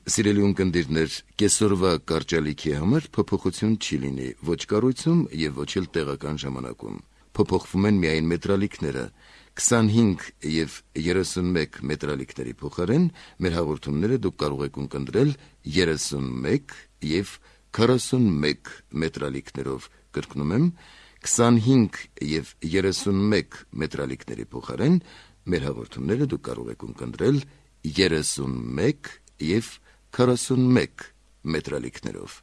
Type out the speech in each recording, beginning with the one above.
Սիրելի ունկնդիրներ, կեսօրվա կարճալիքի համար փոփոխություն չի լինի ոչ կառույցում եւ ոչ էլ տեղական ժամանակում։ Փոփոխվում են միայն մետրալիքները։ 25 եւ 31 մետրալիքների փոխարեն մեր հաղորդումները դուք կարող եք ունկնդրել 31 եւ 41 մետրալիքներով։ Կրկնում եմ, 25 եւ 31 մետրալիքների փոխարեն մեր հաղորդումները դուք կարող եք ունկնդրել 31 եւ 41 մետրալիքներով։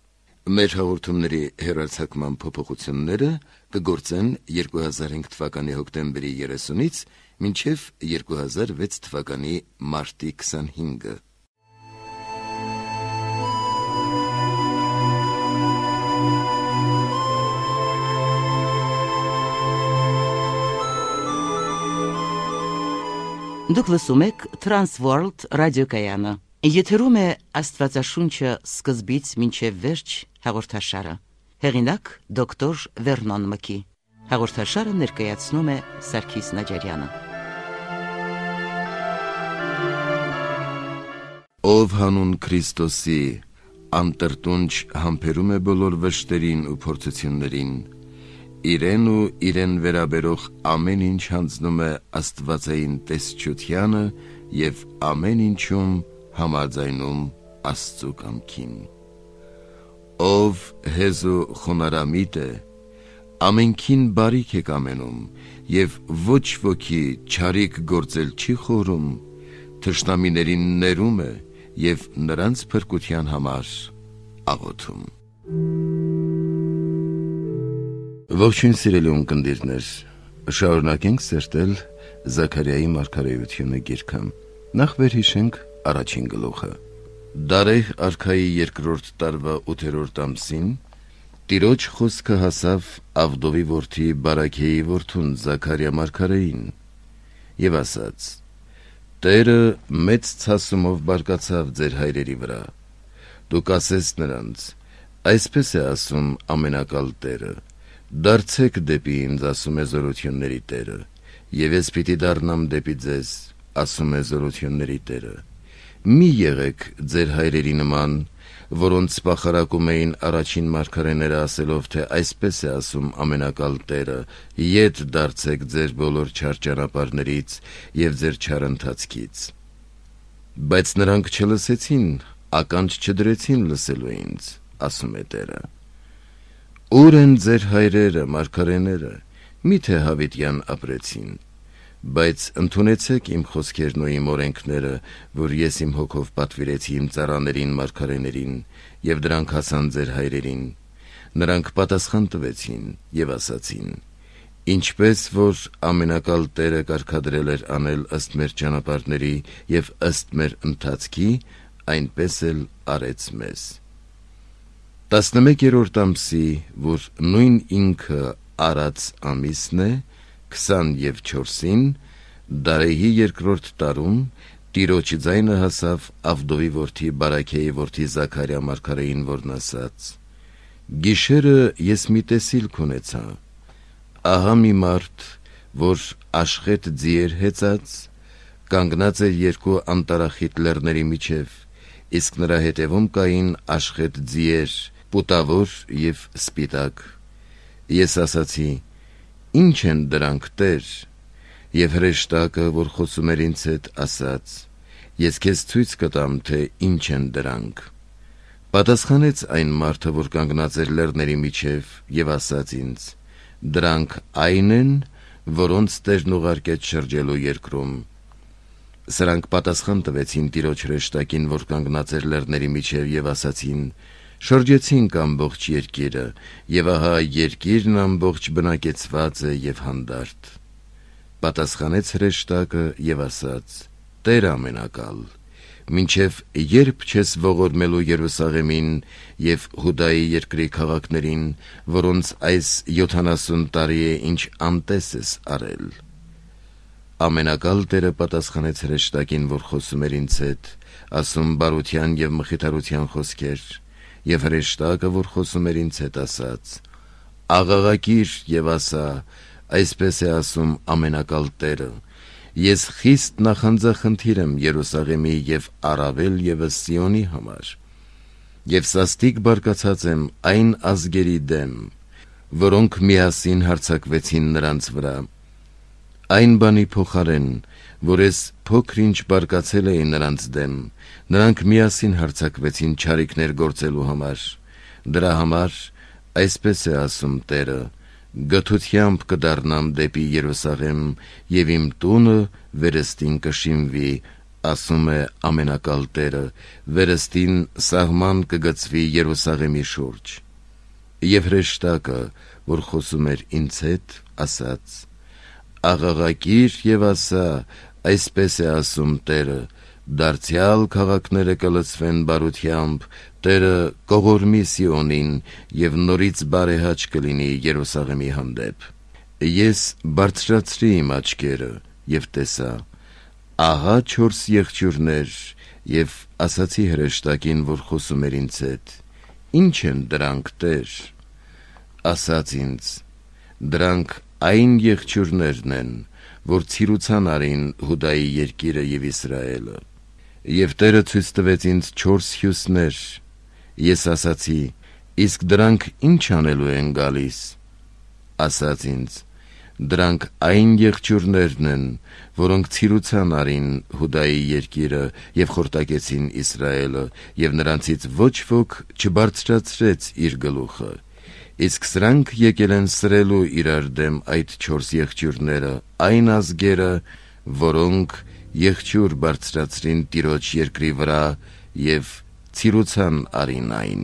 Մեր հաղորդումների հեռարձակման փոփոխությունները կգործեն 2005 թվականի հոկտեմբերի 30-ից մինչև 2006 թվականի մարտի 25-ը։ Դուք լսում եք Transworld ռադիոկայանը։ Եթերում է Աստվածաշունչը սկզբից մինչև վերջ հաղորդաշարը։ Հեղինակ դոկտոր Վերնոն Մկի։ Հաղորդաշարը ներկայացնում է Սարգիս Նաջարյանը։ Ով հանուն Քրիստոսի անտրտունջ համբերում է բոլոր վշտերին ու փորձություններին, իրեն ու իրեն վերաբերող ամեն ինչ հանձնում է աստվածային տեսչությանը եւ ամեն ինչում համաձայնում Աստծու կամքին։ Ով հեզու խոնարհամիտ է, ամենքին բարիք է կամենում եւ ոչ ոքի չարիք գործել չի խորում, թշնամիներին ներում է եւ նրանց փրկության համար աղոթում։ Ողջույն սիրելի ունկնդիրներ, շարունակենք սերտել Զաքարիայի մարգարեությունը գիրքը։ Նախ վերհիշենք առաջին գլուխը։ Դարեհ արքայի երկրորդ տարվա 8-րդ ամսին Տիրոջ խոսքը հասավ Ավդովի որդի Բարաքեի որդուն Զաքարիա մարգարեին եւ ասաց. Տերը մեծ ցասումով բարկացավ ձեր հայրերի վրա։ Դուք ասես նրանց. այսպես է ասում ամենակալ Տերը. դարձեք դեպի ինձ, ասում է զորությունների Տերը, եւ ես պիտի դառնամ դեպի ձեզ, ասում է զորությունների Տերը։ Մի եղեք ձեր հայրերի նման, որոնց սպախարակում էին առաջին մարգարեները ասելով, թե այսպես է ասում ամենակալ Տերը. ետ դարձեք ձեր բոլոր չար ճանապարհներից եւ ձեր չար ընթացքից։ Բայց նրանք չլսեցին, ականջ չդրեցին լսելու ինձ, ասում է Տերը։ Ուր են ձեր հայրերը, մարգարեները, միթե հավիտյան ապրեցին, բայց ընդունեցեք իմ խոսքերն ու իմ օրենքները, որ ես իմ հոգով պատվիրեցի իմ ծառաներին, մարգարեներին, եւ դրանք հասան ձեր հայրերին։ Նրանք պատասխան տվեցին եւ ասացին. ինչպես որ ամենակալ Տերը կարգադրել էր անել ըստ մեր ճանապարհների եւ ըստ մեր ընթացքի, այնպես էլ արեց մեզ։ 11-րդ ամսի, որ նույն ինքը արած ամիսն է, 24-ին, Դարեհի երկրորդ տարում, Տիրոջ ձայնը հասավ Ավդովի որդի Բարաքեի որդի Զաքարիա մարգարեին, որն ասաց. Գիշերը ես մի տեսիլք ունեցա, ահա մի մարդ, որ աշխետ ձիեր հեծած, կանգնած էր երկու անտարախիտ լեռների միջև, իսկ նրա հետևում կային աշխետ ձիեր, պուտավոր եւ սպիտակ։ Ես ասացի. ինչ են դրանք, Տեր, եւ հրեշտակը, որ խոսում էր ինձ հետ, ասաց. ես քեզ ցույց կտամ, թե ինչ են դրանք։ Պատասխանեց այն մարդը, որ կանգնած էր լեռների միջև, եւ ասաց ինձ. դրանք այն են, որոնց Տերն ուղարկեց շրջելու երկրում։ Սրանք պատասխան տվեցին Տիրոջ հրեշտակին, որ կանգնած էր լեռների միջև, եւ ասացին. շրջեցինք ամբողջ երկիրը, եւ ահա երկիրն ամբողջ բնակեցված է եւ հանդարտ։ Պատասխանեց հրեշտակը եւ ասաց. Տեր ամենակալ, մինչև երբ չես ողորմելու Երուսաղեմին եւ Հուդայի երկրի քաղաքներին, որոնց այս 70 տարի է ինչ անտես ես արել։ Ամենակալ Տերը պատասխանեց հրեշտակին, որ խոսում էր ինձ հետ, ասում բարության եւ մխիթարության խոսքեր, եւ հրեշտակը, որ խոսում էր ինձ հետ, ասաց. աղաղակիր եւ ասա, այսպես է ասում ամենակալ Տերը. Ես խիստ նախանձախնդիր եմ Երուսաղեմի և առավել ևս Սիոնի համար, և սաստիկ բարկացած եմ այն ազգերի դեմ, որոնք միասին հարձակվեցին նրանց վրա, այն բանի փոխարեն, որ ես փոքր-ինչ բարկացել էի նրանց դեմ, նրանք միասին հարձակվեցին չարիքներ գործելու համար, դրա համար այսպես է ասում Տերը, գթությամբ կդառնամ դեպի Երուսաղեմ և իմ տունը վերստին կշիմվի, ասում է ամենակալ Տերը, վերստին սահման կգծվի Երուսաղեմի շուրջ։ Եվ հրեշտակը, որ խոսում էր ինձ հետ, ասաց. աղաղակիր և ասա, այսպես է ասում Տերը, դարձյալ քաղաքները կլցվեն բարությամբ, Տերը կողորմի Սիոնին և նորից բարեհաճ կլինի Երուսաղեմի հանդեպ։ Ես բարձրացրի իմ աչքերը և տեսա, ահա 4 եղջյուրներ, և ասացի հրեշտակին, որ խոսում էր ինձ հետ. ինչ են դրանք, Տեր։ Ասաց ինձ. դրանք այն եղջյուրներն են, որ ցիրուցան արին Հուդայի երկիրը և Իսրայելը։ Եվ Տերը ցույց տվեց ինձ 4 հյուսներ, ես ասացի. իսկ դրանք ինչ անելու են գալիս։ Ասաց ինձ. դրանք այն եղջյուրներն են, որոնք ցիրուցան արին Հուդայի երկիրը և խորտակեցին Իսրայելը, և նրանցից ոչ ոք չբարձրացրեց իր գլուխը, իսկ սրանք եկել են սրելու իրար դեմ այդ 4 եղջյուրները, այն ազգերը, որոնք եղջյուր բարձրացրին Տիրոջ երկրի վրա և ցիրուցան արին այն։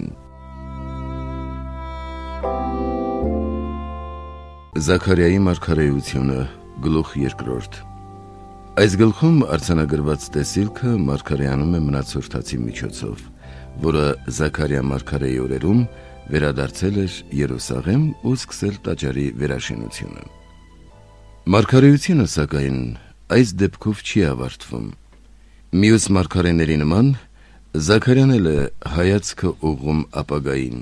Զաքարիայի մարգարեությունը, գլուխ 2։ Այս գլխում արձանագրված տեսիլքը մարգարեանում է մնացորդացի միջոցով, որը Զաքարիա մարգարեի օրերում վերադարձել էր Երուսաղեմ ու սկսել տաճարի վերաշինությունը։ Մարգարեությունը, սակայն, այս դեպքով չի ավարտվում։ Մյուս մարգարեների նման, Զաքարիան էլ է հայացքը ուղղում ապագային,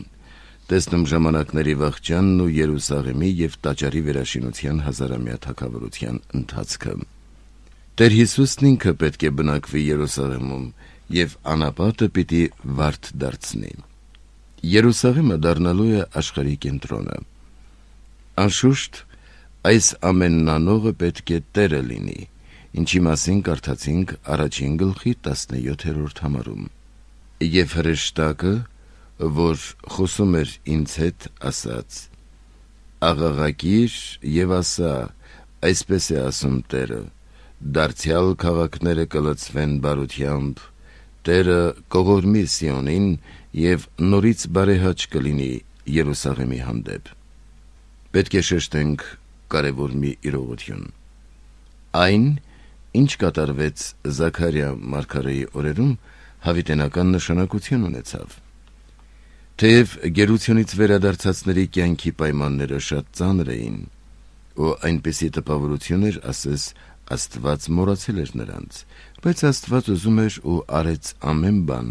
տեսնում ժամանակների վախճանն ու Երուսաղեմի և տաճարի վերաշինության հազարամյա թագավորության ընթացքը։ Տեր Հիսուսն ինքը պետք է բնակվի Երուսաղեմում և անապատը պիտի վարդ դարձնի։ Երուսաղեմը դառնալու է աշխարհի կենտրոնը։ Անշուշտ, այս ամենն անողը պետք է Տերը լինի, ինչի մասին կարդացինք առաջին գլխի 17-րդ համարում։ Եվ հրեշտակը, որ խոսում էր ինձ հետ, ասաց. աղաղակիր և ասա, այսպես է ասում Տերը, դարձյալ քաղաքները կլցվեն բարությամբ, Տերը կողորմի Սիոնին և նորից բարեհաճ կլինի Երուսաղեմի հանդեպ։ Պետք է շեշտենք կարևոր մի իրողություն։ Այն, ինչ կատարվեց Զաքարիա մարգարեի օրերում, հավիտենական նշանակություն ունեցավ։ Թեև գերությունից վերադարձածների կյանքի պայմանները շատ ծանր էին, ու այնպիսի տպավորություն էր, ասես Աստված մոռացել էր նրանց, բայց Աստված ուզում էր ու արեց ամեն բան,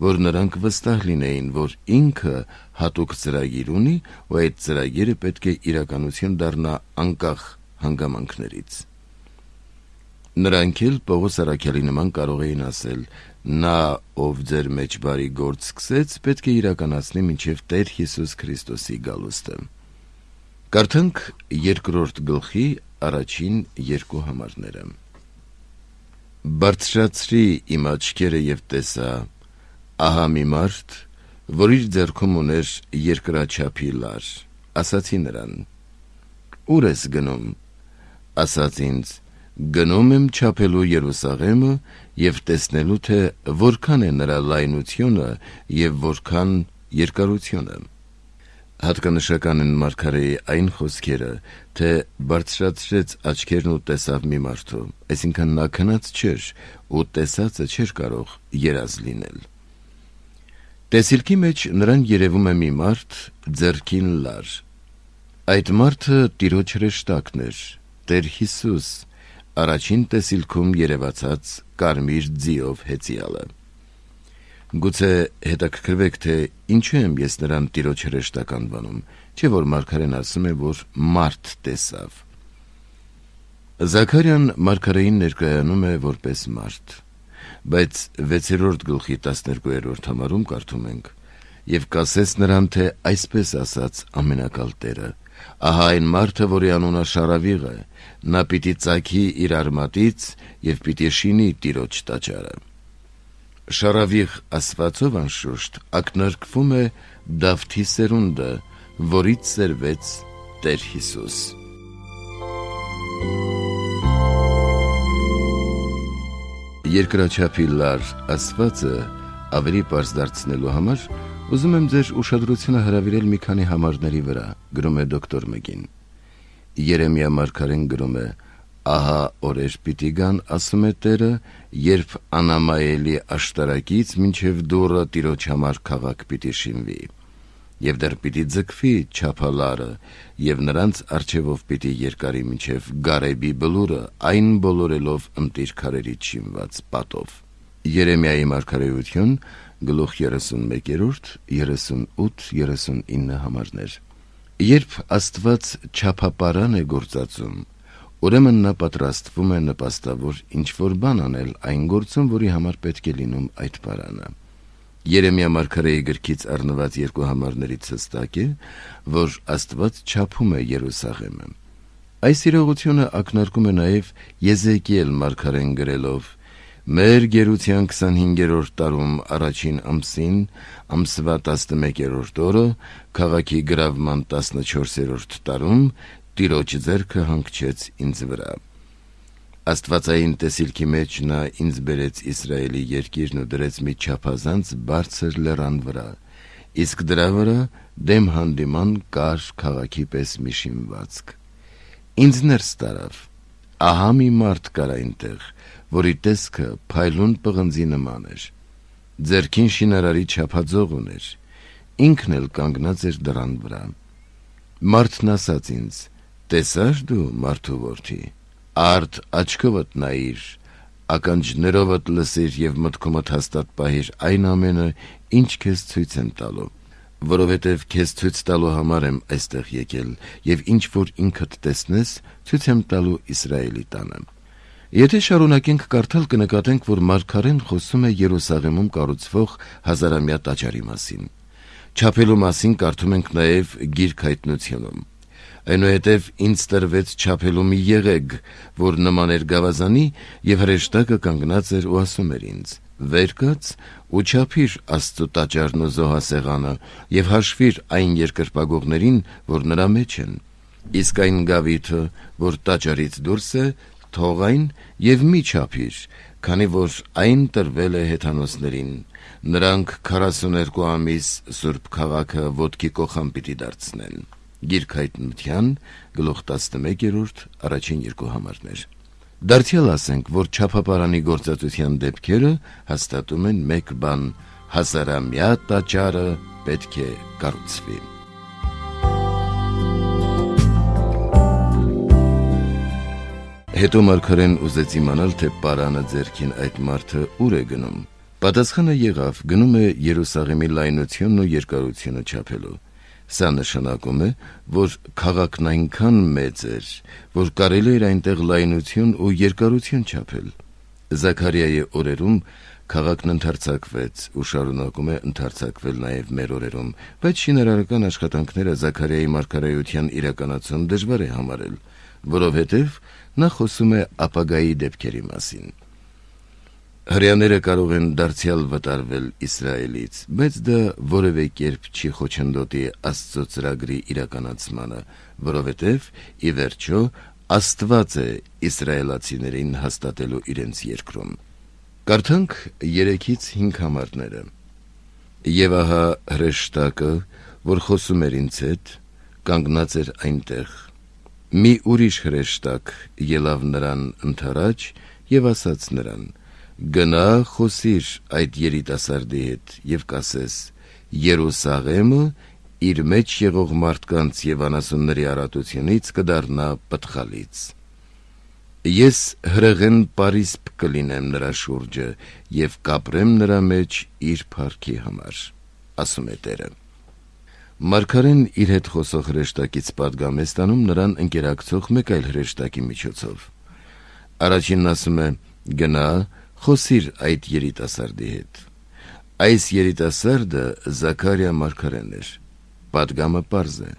որ նրանք վստահ լինեին, որ ինքը հատուկ ծրագիր ունի ու այդ ծրագիրը պետք է իրականություն դառնա անկախ հանգամանքներից։ Նրանք էլ Պողոս առաքյալի նման կարող էին ասել. նա, ով ձեր մեջ բարի գործ սկսեց, պետք է իրականացնի մինչև Տեր Հիսուս Քրիստոսի գալուստը։ Կարդանք 2-րդ գլխի առաջին 2 համարները։ Բարձրացրի իմ աչքերը և տեսա, ահա մի մարդ, որ իր ձեռքում ուներ երկրաչափի լար, ասացի նրան. ուր ես գնում։ Ասաց ինձ. գնում եմ չափելու Երուսաղեմը և տեսնելու, թե որքան է նրա լայնությունը և որքան երկարությունը։ Հատկանշական են մարգարեի այն խոսքերը, թե բարձրացրեց աչքերն ու տեսավ մի մարդու, այսինքն նա քնած չէր ու տեսածը չէր կարող երազ լինել։ Տեսիլքի մեջ նրան երևում է մի մարդ ձեռքին լար։ Այդ մարդը Տիրոջ հրեշտակն էր, Տեր Հիսուս, առաջին տեսիլքում երևացած կարմիր ձիով հեծյալը։ Գուցե հետաքրքրվեք, թե ինչու եմ ես նրան Տիրոջ հրեշտակ անվանում, չէ որ մարգարեն ասում է, որ մարդ տեսավ։ Զաքարյան մարգարեին ներկայանում է որպես մարդ, բայց 6-րդ գլխի 12-րդ համարում կարդում ենք. «Եվ կասեց նրան, թե այսպես ասաց ամենակալ Տերը. ահա այն մարդը, որի անունը Շարավիղ է, նա պիտի ծագի իր արմատից և պիտի շինի Տիրոջ տաճարը»։ Շարավիղ ասվածով անշուշտ ակնարկվում է Դավթի սերունդը, որից սերվեց Տեր Հիսուս։ Երկրաչափի լար ասվածը ավելի պարզ դարձնելու համար ուզում եմ ձեր ուշադրությունը հրավիրել մի քանի համարների վրա, գրում է դոկտոր Մգին։ Երեմիա մարգարեն գրում է. «Ահա օրեր պիտի գան, ասում է Տերը, երբ անամայելի աշտարակից մինչև դուռը Տիրոջ համար քաղաք պիտի շինվի, և դեռ պիտի ձգվի չափալարը, և նրանց առջևով պիտի երկարի մինչև Գարեբի բլուրը, այն բոլորելով ընտիր քարերից շինված պատով»։ Երեմիայի մարգարեություն, գլուխ 31, 38-39 համարներ։ Երբ Աստված չափապարան է գործածում, ուրեմն նա պատրաստվում է նպաստավոր ինչ-որ բան անել այն գործում, որի համար պետք է լինում այդ պարանը։ Երեմիա մարգարեի գրքից առնված երկու համարներից հստակ է, որ Աստված չափում է Երուսաղեմը։ Այս իրողությունը ակնարկում է նաև Եզեկիել մարգարեն գրելով. «Մեր գերության 25-րդ տարում առաջին ամսին, ամսվա 11-րդ օրը, քաղաքի գրավման 14-րդ տարում, Տիրոջ ձեռքը հանգչեց ինձ վրա»։ Աստվածային տեսիլքի մեջ նա ինձ բերեց Իսրայելի երկիրն ու դրեց մի չափազանց բարձր լեռան վրա, իսկ դրա վրա դեմ հանդիման կար քաղաքի պես մի շինվածք։ Ինձ ներս տարավ, ահա մի մարդ կար այնտեղ, որի տեսքը փայլուն պղնձի նման էր, ձեռքին շինարարի չափածող ուներ, ինքն էլ կանգնած էր դռան վրա։ Մարդն ասաց ինձ. «Տեսա՞ր դու, մարդու որդի, արդ աչքովդ նայիր, ականջներովդ լսիր և մտքումդ հաստատ պահիր այն ամենը, ինչ քեզ ցույց եմ տալու, որովհետև քեզ ցույց տալու համար եմ այստեղ եկել, և ինչ որ ինքդ տեսնես, ցույց եմ տալու Իսրայելի տանը»։ Եթե շարունակենք կարդալ, կնկատենք, որ մարգարեն խոսում է Երուսաղեմում կառուցվող հազարամյա տաճարի մասին։ Չափելու մասին կարդում ենք նաև Գիրք Հայտնությունում։ Այնուհետև ինձ տրվեց չափելու մի եղեգ, որ նման էր գավազանի, և հրեշտակը կանգնած էր ու ասում էր ինձ. «Վեր կաց ու չափիր Աստծու տաճարն ու զոհասեղանը և հաշվիր այն երկրպագողներին, որ նրա մեջ են, իսկ այն գավիթը, որ տաճարից դուրս է, թող այն և մի չափիր, քանի որ այն տրվել է հեթանոսներին, նրանք 42 ամիս Սուրբ քաղաքը ոտքի կոխան պիտի դարձնեն»։ Գիրք Հայտնության, գլուխ 11, առաջին երկու համարներ։ Դարձյալ ասենք, որ չափապարանի գործածության դեպքերը հաստատում են մեկ բան. հազարամյա տաճարը պետք է կառուցվի։ Հետո մարգարեն ուզեց իմանալ, թե պարանը ձեռքին այդ մարդը ուր է գնում։ Պատասխանը եղավ, գնում է Երուսաղեմի լայնությունն ու երկարությունը չափելու։ Սա նշանակում է, որ քաղաքն այնքան մեծ էր, որ կարելի էր այնտեղ լայնություն ու երկարություն չափել։ Զաքարիայի օրերում քաղաքն ընդարձակվեց ու շարունակում է ընդարձակվել նաև մեր օրերում, բայց շինարարական աշխատանքները Զաքարիայի մարգարեության իրականացում դժվար է համարել, որովհետև նա խոսում է ապագայի դեպքերի մասին։ Հրեաները կարող են դարձյալ վտարվել Իսրայելից, բայց դա որևէ կերպ չի խոչընդոտի Աստծո ծրագրի իրականացմանը, որովհետև ի վերջո Աստված է իսրայելացիներին հաստատելու իրենց երկրում։ Կարդանք 3-5 համարները։ «Եվ ահա հրեշտակը, որ խոսում էր ինձ հետ, կանգնած էր այնտեղ։ Մի ուրիշ հրեշտակ ելավ նրան ընդառաջ և ասաց նրան. «Գնա խոսիր այդ երիտասարդի հետ և կասես. Երուսաղեմը իր մեջ եղող մարդկանց և անասունների առատությունից կդառնա պտղալից։ Ես հրեղեն պարիսպ կլինեմ նրա շուրջը և կապրեմ նրա մեջ իր փառքի համար, ասում է Տերը»։ Մարգարեն իր հետ խոսող հրեշտակից պատգամ է ստանում նրան ընկերակցող մեկ այլ հրեշտակի միջոցով։ Առաջինն ասում է. «Գնա, խոսիր այդ երիտասարդի հետ»։ Այս երիտասարդը Զաքարիա մարգարեն էր։ Պատգամը պարզ է։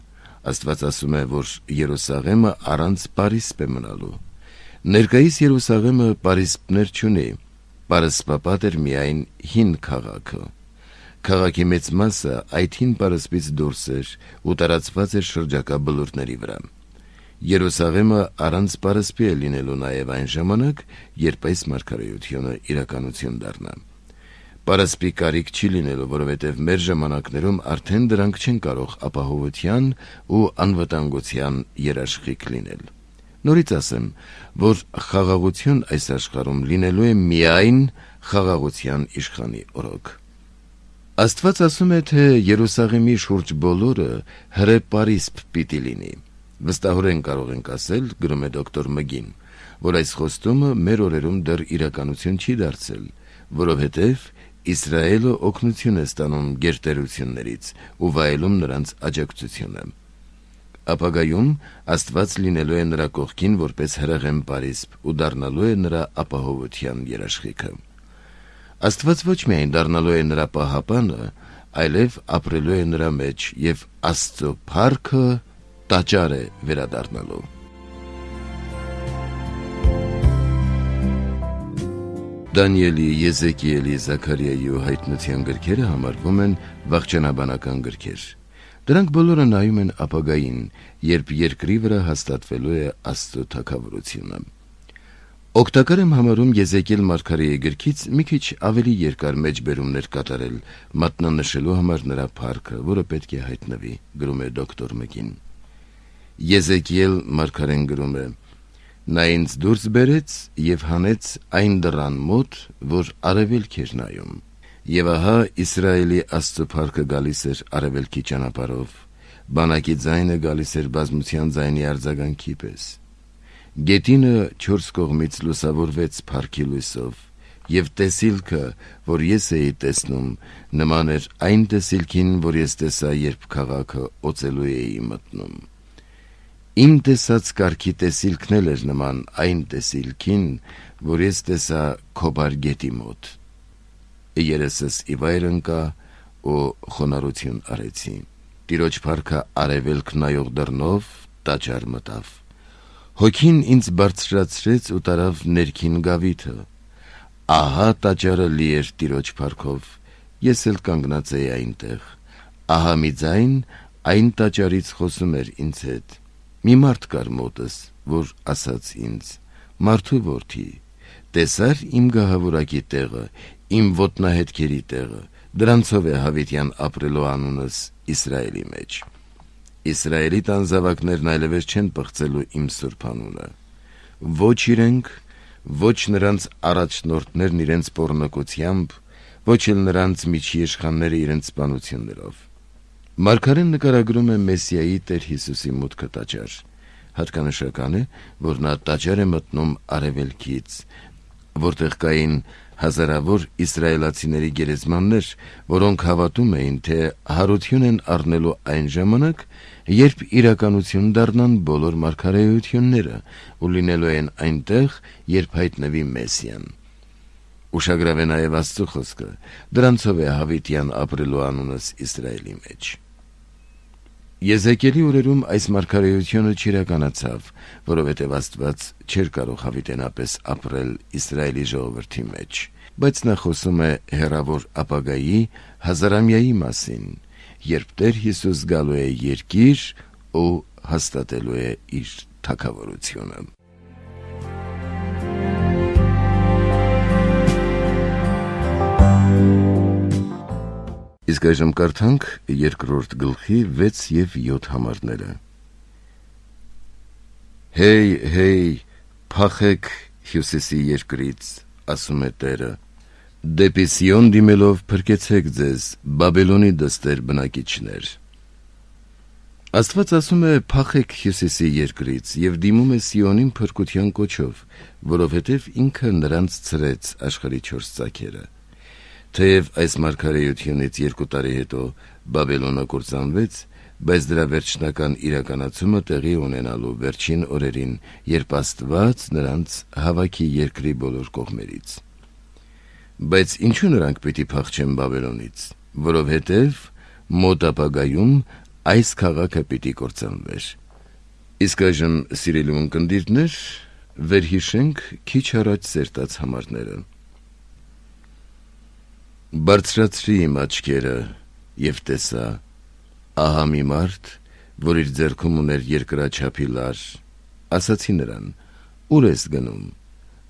Աստված ասում է, որ Երուսաղեմը առանց պարիսպ է մնալու։ Ներկայիս Երուսաղեմը պարիսպներ չունի, պարսպապատ էր միայն հին քաղաքը։ Քաղաքի մեծ մասը այդ հին պարսպից դուրս էր ու տարածված էր շրջակա բլուրների վրա։ Երուսաղեմը առանց պարսպի է լինելու նաև այն ժամանակ, երբ այս մարգարեությունը իրականություն դառնա։ Պարսպի կարիք չի լինելու, որովհետև մեր ժամանակներում արդեն դրանք չեն կարող ապահովության ու անվտանգության երաշխիք լինել։ Նորից ասեմ, որ խաղաղություն այս աշխարհում լինելու է միայն խաղաղության իշխանի օրոք։ Աստված ասում է, թե Երուսաղեմի շուրջ բոլորը հրե պարիսպ պիտի լինի։ Վստահորեն կարող ենք ասել, գրում է դոկտոր Մգին, որ այս խոստումը մեր օրերում դեռ իրականություն չի դարձել, որովհետև Իսրայելը օգնություն է ստանում գերտերություններից ու վայելում նրանց աջակցությունը։ Ապագայում Աստված լինելու է նրա կողքին որպես հրեղեն պարիսպ ու դառնալու է նրա ապահովության երաշխիքը։ Աստված ոչ միայն դառնալու է նրա պահապանը, այլև ապրելու է նրա մեջ և Աստծո փառքը տաճար է վերադառնալու։ Դանիելի, Եզեկիելի, Զաքարիայի ու Հայտնության գրքերը համարվում են վախճանաբանական գրքեր։ Դրանք բոլորը նայում են ապագային, երբ երկրի վրա հաստատվելու է Աստծո թագավորությունը։ Օգտակար եմ համարում Եզեկիել մարգարեի գրքից մի քիչ ավելի երկար մեջբերումներ կատարել, մատնանշելու համար նրա փառքը, որը պետք է հայտնվի, գրում է դոկտոր Մգին։ Եզեկիել մարգարեն գրում է. «Նա ինձ դուրս բերեց և հանեց այն դռան մոտ, որ արևելք էր նայում, և ահա Իսրայելի Աստծո փառքը գալիս էր արևելքի ճանապարհով, բանակի ձայնը գալիս էր բազմության ձայնի արձագանքի պես։ Գետինը չորս կողմից լուսավորվեց փառքի լույսով, և տեսիլքը, որ ես էի տեսնում, նման էր այն տեսիլքին, որ ես տեսա, երբ քաղաքը օծելու էի մտնում։ Իմ տեսած կարգի տեսիլքն էլ էր նման այն տեսիլքին, որ ես տեսա Քոբար գետի մոտ։ Երեսս ի վայր ընկա ու խոնարհություն արեցի։ Տիրոջ փառքը արևելք նայող դռնով տաճար մտավ։ Հոգին ինձ բարձրացրեց ու տարավ ներքին գավիթը։ Ահա տաճարը լի էր Տիրոջ փառքով, ես էլ կանգնած էի այնտեղ։ Ահա մի ձայն այն տաճարից խոսում էր ինձ հետ։ Մի մարդ կար մոտս, որ ասաց ինձ. «Մարդու որդի, տեսա՞ր իմ գահավորակի տեղը, իմ ոտնահետքերի տեղը, դրանցով է հավիտյան ապրելու անունս Իսրայելի մեջ։ Իսրայելի տան զավակներն այլևս չեն պղծելու իմ սուրբ անունը։ Ոչ իրենք, ոչ նրանց առաջնորդներն իրենց պոռնկությամբ, ոչ էլ նրանց միջիշխանները իրենց սպանություններով»։ Մարգարեն նկարագրում է Մեսիայի Տեր Հիսուսի մուտքը տաճար։ Հատկանշական է, որ նա տաճար է մտնում արևելքից, որտեղ կային հազարավոր իսրայելացիների գերեզմաններ, որոնք հավատում էին, թե հարություն են առնելու այն ժամանակ, երբ իրականություն դառնան բոլոր մարգարեությունները ու լինելու են այնտեղ, երբ հայտնվի Մեսիան։ Ուշագրավ է նաև Աստծո խոսքը. «Դրանցով է հավիտյան ապրելու անունս Իսրայելի մեջ»։ Եզեկիելի օրերում այս մարգարեությունը չիրականացավ, որովհետև Աստված չէր կարող հավիտենապես ապրել Իսրայելի ժողովրդի մեջ, բայց նա խոսում է հեռավոր ապագայի հազարամյայի մասին, երբ Տեր Հիսուս գալու է երկիր ու հաստատելու է իր թագավորությունը։ Իսկ այժմ կարդանք երկրորդ գլխի 6 և 7 համարները։ Հեյ, հեյ, փախեք հյուսիսի երկրից, ասում է Տերը, դեպի Սիոն դիմելով փրկեցեք ձեզ, Բաբելոնի դստեր բնակիչներ։ Աստված ասում է փախեք հյուսիսի երկրից և դիմում է Սիոնին փրկության կոչով, որովհետև ինքը նրանց ցրեց աշխարհի 4 ծագերը։ Թեև այս մարգարեությունից 2 տարի հետո Բաբելոնը կործանվեց, բայց դրա վերջնական իրականացումը տեղի ունենալու վերջին օրերին, երբ Աստված նրանց հավաքի երկրի բոլոր կողմերից։ Բայց ինչու նրանք պիտի փախչեն Բաբելոնից, որովհետև մոտ ապագայում այս քաղաքը պիտի կործանվեր։ Իսկ այժմ, սիրելի ունկնդիրներ, վերհիշենք քիչ առաջ սերտած համարները։ Բարձրացրի իմ աչքերը և տեսա, ահա մի մարդ, որ իր ձեռքում ուներ երկրաչափի լար, ասացի նրան. ուր ես գնում։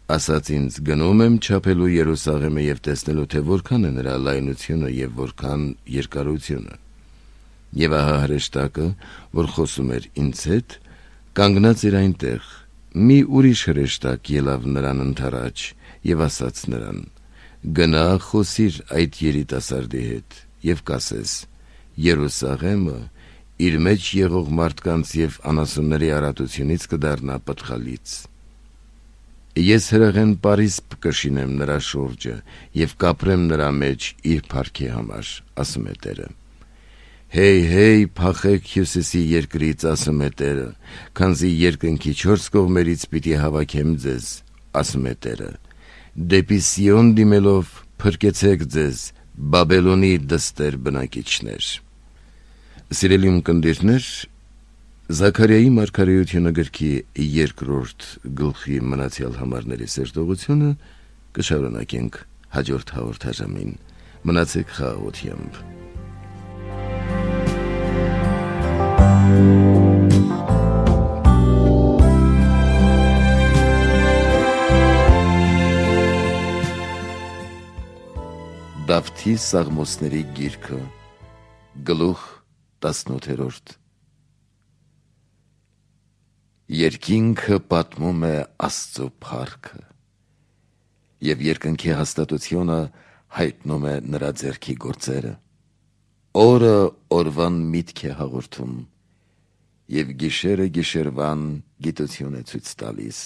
Ասաց ինձ. գնում եմ չափելու Երուսաղեմը և տեսնելու, թե որքան է նրա լայնությունը և որքան երկարությունը։ Եվ ահա հրեշտակը, որ խոսում էր ինձ հետ, կանգնած էր այնտեղ, մի ուրիշ հրեշտակ ելավ նրան ընդառաջ և ասաց նրան. գնա խոսիր այդ երիտասարդի հետ և կասես. Երուսաղեմը իր մեջ եղող մարդկանց և անասունների արատությունից կդառնա պտղալից։ Ես հրեղեն պարիսպ կշինեմ նրա շուրջը և կապրեմ նրա մեջ իր փառքի համար, ասում է Տերը։ Հեյ, փախեք հյուսիսի երկրից, ասում է Տերը, քանզի երկնքի 4 կողմերից պիտի հավաքեմ ձեզ, ասում է Տերը։ Դեպի Սիոն դիմելով փրկեցեք ձեզ, Բաբելոնի դստեր բնակիչներ։ Սիրելի ունկնդիրներ, Զաքարիայի մարգարեությունը գրքի 2-րդ գլխի մնացյալ համարների սերտողությունը կշարունակենք հաջորդ հաղորդաժամին։ Մնացեք խաղաղությամբ։ Դավթի Սաղմոսների գիրքը, գլուխ 18։ Երկինքը պատմում է Աստծո փառքը, և երկնքի հաստատությունը հայտնում է նրա ձեռքի գործերը։ Օրը օրվան միտք է հաղորդում, և գիշերը գիշերվան գիտություն է ցույց տալիս։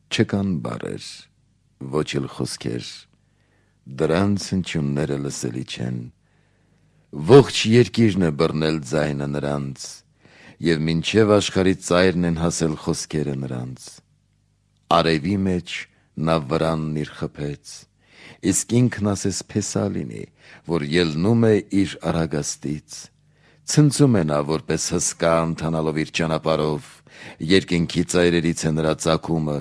Չկան բառեր, ոչ էլ խոսքեր, դրանց հնչյունները լսելի չեն։ Ողջ երկիրն է բռնել ձայնը նրանց, և մինչև աշխարհի ծայրն են հասել խոսքերը նրանց։ Արևի մեջ նա վրանն իր խփեց, իսկ ինքն ասես փեսա լինի, որ ելնում է իր առագաստից։ Ցնծում է նա, որպես հսկա ընթանալով իր ճանապարհով, երկինքի ծայրերից է նրա ծագումը,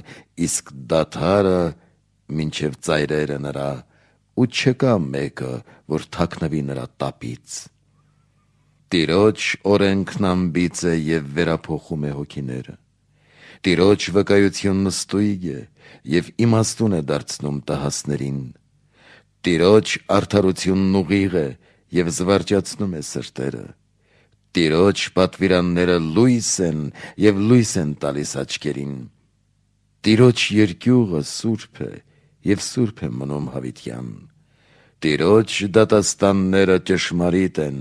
իսկ դադարը մինչև ծայրերը նրա, ու չկա մեկը, որ թաքնվի նրա տապից։ Տիրոջ օրենքն անբիծ է և վերափոխում է հոգիները։ Տիրոջ վկայությունն ստույգ է և իմաստուն է դարձնում տհասներին։ Տիրոջ արդարությունն ուղիղ է և զվարճացնում է սրտերը։ Տիրոջ պատվիրանները լույս են և լույս են տալիս աչքերին։ Տիրոջ երկյուղը սուրբ է և սուրբ է մնում հավիտյան։ Տիրոջ դատաստանները ճշմարիտ են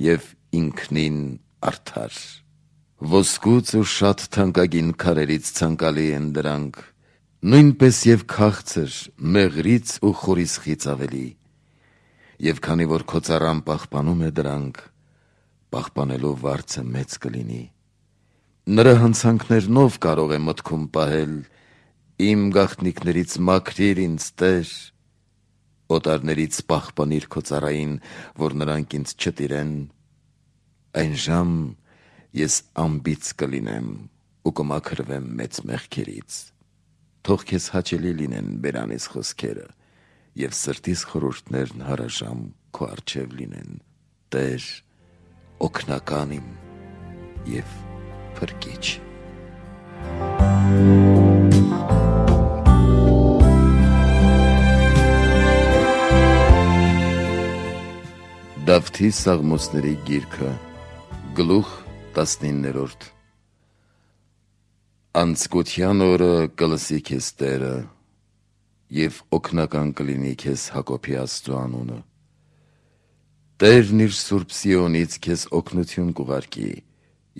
և ինքնին արդար։ Ոսկուց ու շատ թանկագին քարերից ցանկալի են դրանք, նույնպես և քաղցր, մեղրից ու խորիսխից ավելի։ Եվ քանի որ քո ծառան պահպանում է դրանք, պահպանելու վարձը մեծ կլինի։ Նրա հանցանքներնով կարող է մտքում պահել, իմ գաղտնիքներից մաքրիր ինձ, Տեր, օտարներից պահպանիր քո ծառային, որ նրանք ինձ չտիրեն։ Այն ժամ ես անբիծ կլինեմ ու կմաքրվեմ մեծ մեղքերից։ Թող քեզ հաճելի լինեն բերանիս խոսքերը և սրտիս խորհուրդներն հարաժամ քո առջև լինեն, Տեր, օգնական իմ և փրկիչ։ Դավթի Սաղմոսների գիրքը, գլուխ 19։ Անձկության օրը կլսի քեզ Տերը, և օգնական կլինի քեզ Հակոբի Աստծու անունը։ Տերն իր սուրբ Սիոնից քեզ օգնություն կուղարկի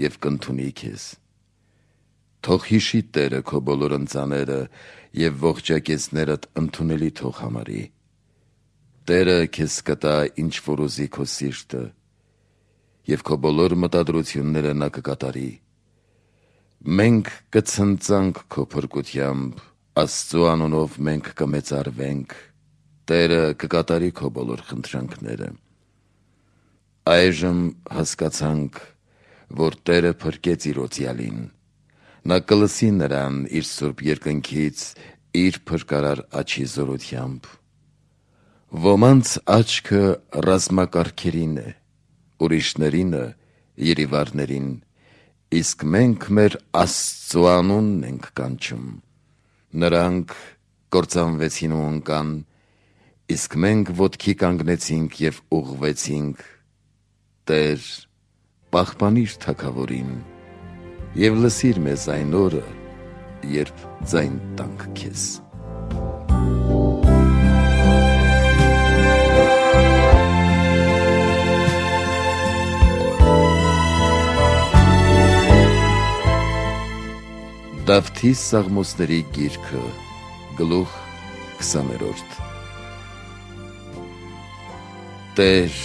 և կընդունի քեզ։ Թող հիշի Տերը քո բոլոր ընծաները և ողջակեզներդ ընդունելի թող համարի։ Տերը քեզ կտա, ինչ որ ուզի քո սիրտը, եւ քո բոլոր մտադրությունները նա կկատարի։ Մենք կցնծանք քո փրկությամբ, Աստծու անունով մենք կմեծարվենք, Տերը կկատարի քո բոլոր խնդրանքները։ Այժմ հասկացանք, որ Տերը փրկեց իր օծյալին։ Նա կլսի նրան իր սուրբ երկնքից իր փրկարար աջի զորությամբ։ Ոմանց աչքը ռազմակարգերին է, ուրիշներինը երիվարներին, իսկ մենք մեր Աստծու անունն ենք կանչում։ Նրանք կործանվեցին ու ընկան, իսկ մենք ոտքի կանգնեցինք և ուղղվեցինք։ Տեր, պահպանիր թագավորին և լսիր մեզ այն օրը, երբ ձայն տանք քեզ։ Դավթի Սաղմոսների գիրքը, գլուխ 20-րդ։ Տեր,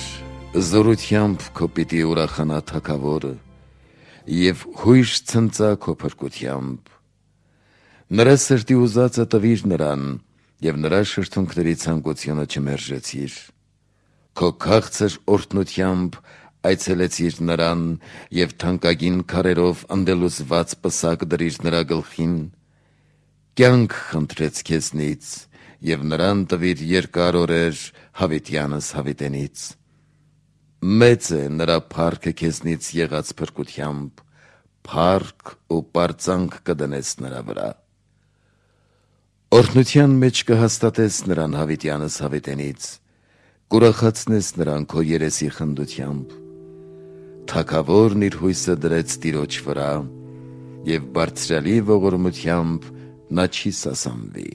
զորությամբ քո պիտի ուրախանա թագավորը և հույժ ցնծա քո փրկությամբ։ Նրա սրտի ուզածը տվիր նրան և նրա շրթունքների ցանկությունը չմերժեցիր։ Քո քաղցր օրհնությամբ այցելեցիր նրան և թանկագին քարերով ընդելուսված պսակ դրիր նրա գլխին։ Կյանք խնդրեց քեզնից և նրան տվիր երկար օրեր հավիտյանս հավիտենից։ Մեծ է նրա փառքը քեզնից եղած փրկությամբ, փառք ու պարծանք կդնես նրա վրա։ Օրհնության մեջ կհաստատես նրան հավիտյանս հավիտենից, կուրախացնես նրան քո երեսի խնդությամբ։ Թագավորն իր հույսը դրեց Տիրոջ վրա, և բարձրյալի ողորմությամբ նա չի սասանվի։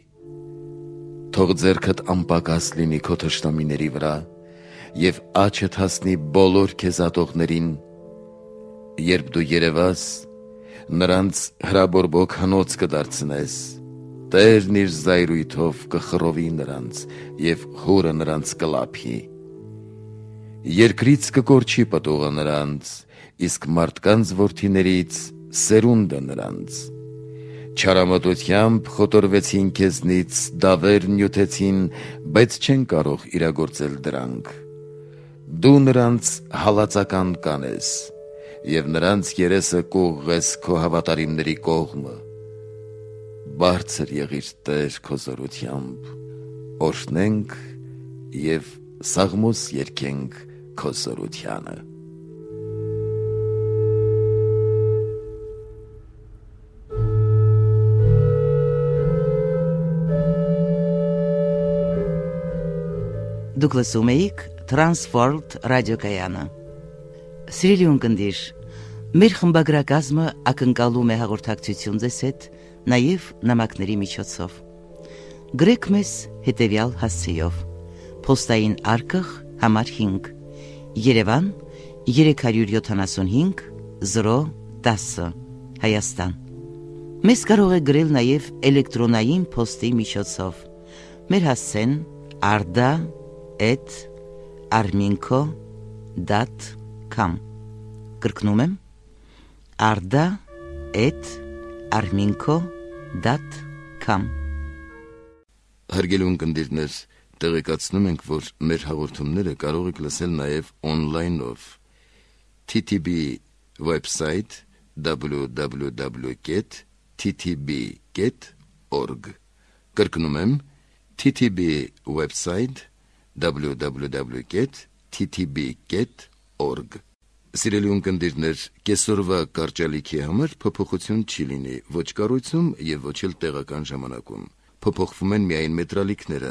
Թող ձեռքդ անպակաս լինի քո թշնամիների վրա և աչդ հասնի բոլոր քեզ ատողներին։ Երբ դու երևաս, նրանց հրաբորբոք հնոց կդարձնես, Տերն իր զայրույթով կխռովի նրանց և հուրը նրանց կլափի։ Երկրից կկորչի պտուղը նրանց, իսկ մարդկանց որդիներից սերունդը նրանց։ Չարամտությամբ խոտորվեցին քեզնից, դավեր նյութեցին, բայց չեն կարող իրագործել դրանք։ Դու նրանց հալածական կանես և նրանց երեսը կուղղես քո հավատարիմների կողմը։ Բարձր եղիր Տեր քո զորությամբ, օրհնենք և սաղմոս երգենք քո զորությանը։ Դուք լսում էիք Transworld ռադիոկայանը։ Սիրելի ունկնդիր, մեր խմբագրակազմը ակնկալում է հաղորդակցություն ձեզ հետ նաև նամակների միջոցով։ Գրեք մեզ հետևյալ հասցեով. Պոստային արկղ համար 5, Երևան 375 010, Հայաստան։ Մեզ կարող է գրել նաև էլեկտրոնային պոստի միջոցով։ Մեր հասցեն arda@arminco.com։ Կրկնում եմ arda@arminco.com։ Հարգելի ունկնդիրներ, տեղեկացնում ենք, որ մեր հաղորդումները կարող եք լսել նաև on-line-ով TTB website www.ttb.org։ Կրկնում եմ TTB website www.ttb.org։ Սիրելի ունկնդիրներ, կեսօրվա կարճալիքի համար փոփոխություն չի լինի ոչ կառույցում և ոչ էլ տեղական ժամանակում։ Փոփոխվում են միայն մետրալիքները։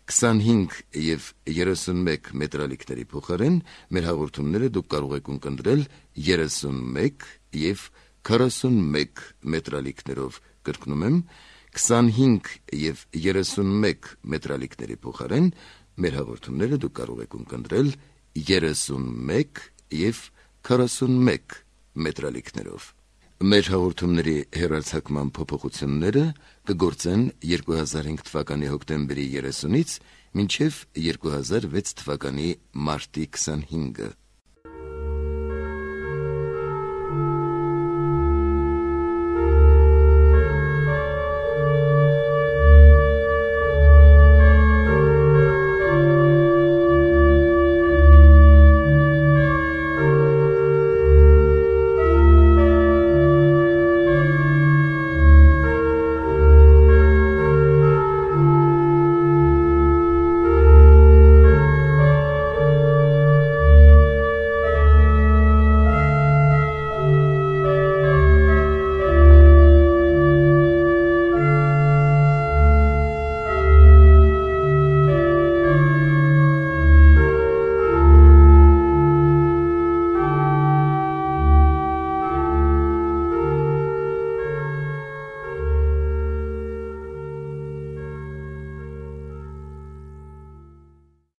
25 և 31 մետրալիքների փոխարեն մեր հաղորդումները դուք կարող եք ունկնդրել 31 և 41 մետրալիքներով։ Կրկնում եմ 25 և 31 մետրալիքների փոխարեն մեր հաղորդումները դուք կարող եք ունկնդրել 31 և 41 մետրալիքներով։ Մեր հաղորդումների հեռարձակման փոփոխությունները կգործեն 2005 թվականի հոկտեմբերի 30-ից մինչև 2006 թվականի մարտի 25-ը։